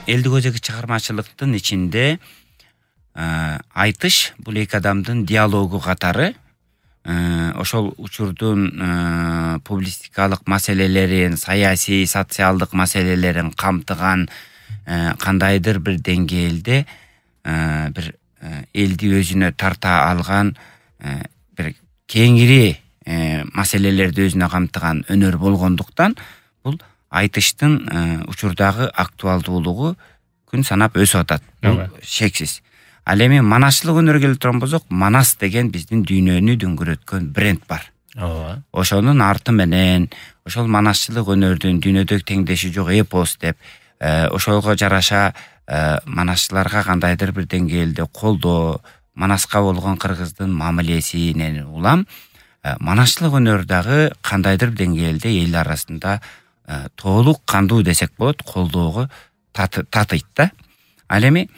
элдик өзеги чыгармачылыктын ичинде айтыш бул эки адамдын диалогу катары ошол учурдун публистикалык маселелерин, саясий, социалдык маселелерин камтыган кандайдыр бир деңгээлде бир элди өзүнө тарта алган бир кеңири маселелерди өзүнө камтыган өнөр болгондуктан бул айтыштын учурдагы актуалдуулугу күн санап өсүп атат. Бул шексиз. Ал эми манасчылык өнөргө келип турган болсок, Манас деген биздин дүйнөнү дүңгүрөткөн бренд бар. Ошонун арты менен ошол манасчылык өнөрдүн дүйнөдөгү теңдеши жок эпос деп, ошого жараша манасчыларга кандайдыр бир деңгээлде колдоо, Манаска болгон кыргыздын мамилесинен улам манасчылык өнөр дагы кандайдыр бир деңгээлде эл арасында толук кандуу десек болот, колдоого татыйт да. Ал эми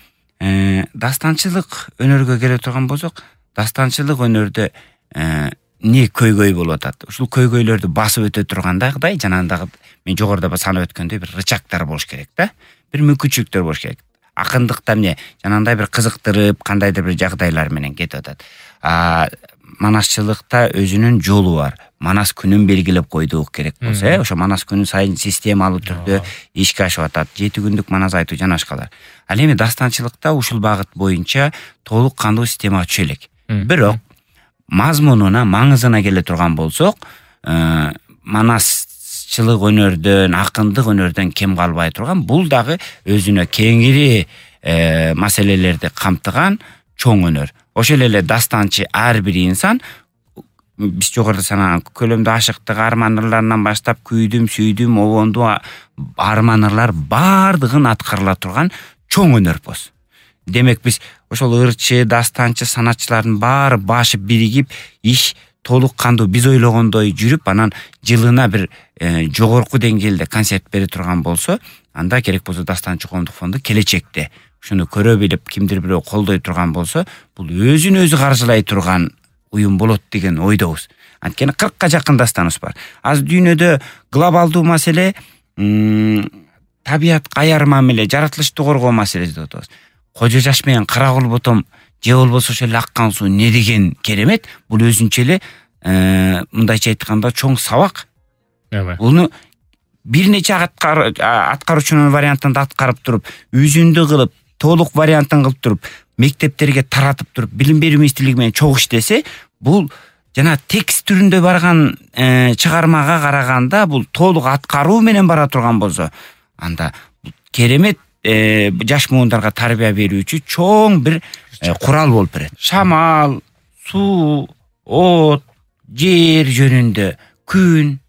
дастанчылык өнөргө келе турган болсок, дастанчылык өнөрдө эмне көйгөй болуп атат? Ушул көйгөйлөрдү басып өтө тургандагыдай, жанагы мен жогоруда санап өткөндөй бир рычагдар болуш керек да. Бир мүмкүнчүлүктөр болуш керек. Акындыкта эмне жанагындай бир кызыктырып, кандайдыр бир жагдайлар менен кетип атат. Манасчылыкта өзүнүн жолу бар. Манас күнүн белгилеп койдук керек болсо, ошо Манас күнү сайын системалуу түрдө ишке ашып атат. 7 күндүк Манас айтуу жана башкалар. Ал эми дастанчылыкта ушул багыт боюнча толук кандуу система түшө элек. Бирок мазмунуна, маңызына келе турган болсок, манасчылык өнөрдөн, акындык өнөрдөн кем калбай турган, бул дагы өзүнө кеңири маселелерди камтыган чоң өнөр. Ошол эле дастанчы ар бир инсан биз жогоруда санаган көлөмдүү ашыктык арман ырларынан баштап күйдүм, сүйдүм, обонду арман ырлар бардыгын аткарыла турган чоң өнөрпоз. Демек биз ошол ырчы, дастанчы, санатчылардын баары башы биригип, иш толук кандуу биз ойлогондой жүрүп, анан жылына бир жогорку деңгээлде концерт бере турган болсо, анда керек болсо Дастанчы коомдук фонду келечекте ушуну көрө билип, кимдир бирөө колдой турган болсо, бул өзүн өзү каржылай турган уюм болот деген ойдобуз. Анткени 40ка жакын дастаныбыз бар. Азыр дүйнөдө глобалдуу маселе табиятка аяр мамиле, жаратылышты коргоо маселеси деп атабыз. Кожо жаш менен кара кол ботом же болбосо ошол аккан суу не деген керемет, бул өзүнчө эле мындайча айтканда чоң сабак. Буну бир нече аткаруучунун вариантында аткарып туруп, үзүндү кылып, толук вариантын кылып туруп, мектептерге таратып туруп, билим берүү министрлиги менен чогуу иштесе, бул жана текст түрүндө барган чыгармага караганда бул толук аткаруу менен бара турган болсо, анда керемет жаш муундарга тарбия берүүчү чоң бир курал болуп берет. Шамал, суу, от, жер жөнүндө, күн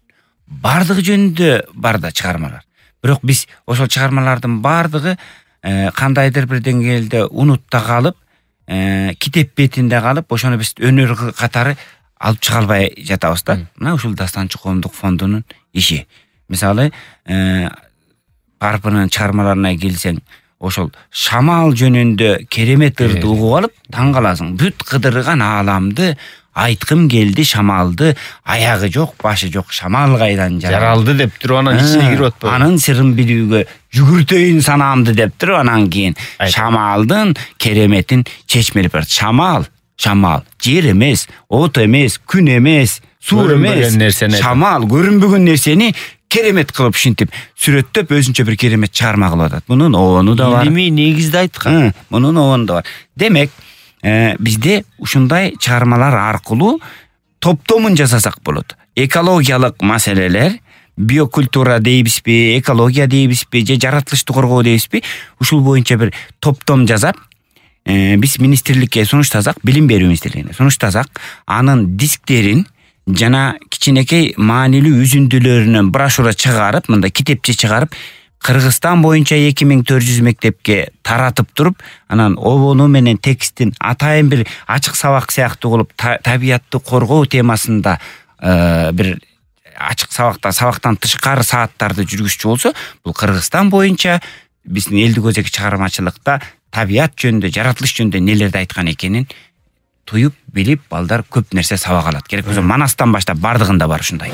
бардыгы жөнүндө бар да чыгармалар. Бирок биз ошол чыгармалардын бардыгы кандайдыр бир деңгээлде унутта калып, китеп бетинде калып, ошону биз өнөр катары алып чыга албай жатабыз да. Мына ушул Дастанчы коомдук фондунун иши. Мисалы, Карпынын чыгармаларына келсең, ошол шамал жөнүндө керемет ырды угуп алып, таң каласың. Бүт кыдырган ааламды айткым келди шамалды, аягы жок, башы жок, шамал кайдан жаралды деп туруп анан ичине кирип атпайбы? Анын сырын билүүгө жүгүртөйүн санаамды деп туруп анан кийин шамалдын кереметин чечмелеп берет. Шамал жер эмес, от эмес, күн эмес, суу эмес, шамал көрүнбөгөн нерсени керемет кылып ушинтип сүрөттөп өзүнчө бир керемет чыгарма кылып атат. Мунун обону да бар. Илимий негизде айткан. Мунун обону да бар. Демек, бизде ушундай чыгармалар аркылуу топтомун жасасак болот. Экологиялык маселелер, биокультура дейбизби, экология дейбизби, же жаратылышты коргоо дейбизби, ушул боюнча бир топтом жасап, биз министрликке сунуштасак, билим берүү министрлигине сунуштасак, анын дисктерин жана кичинекей маанилүү үзүндүлөрүнөн брошюра чыгарып, мындай китепче чыгарып, Кыргызстан боюнча 2400 мектепке таратып туруп, анан обону менен текстин атайын бир ачык сабак сыяктуу кылып, табиятты коргоо темасында бир ачык сабактан тышкары сааттарды жүргүзчү болсо, бул Кыргызстан боюнча биздин элдик өзеги чыгармачылыкта табият жөнүндө, жаратылыш жөнүндө нелерди айткан экенин туюп билип, балдар көп нерсе сабак алат. Керек болсо Манастан баштап бардыгында бар ушундай.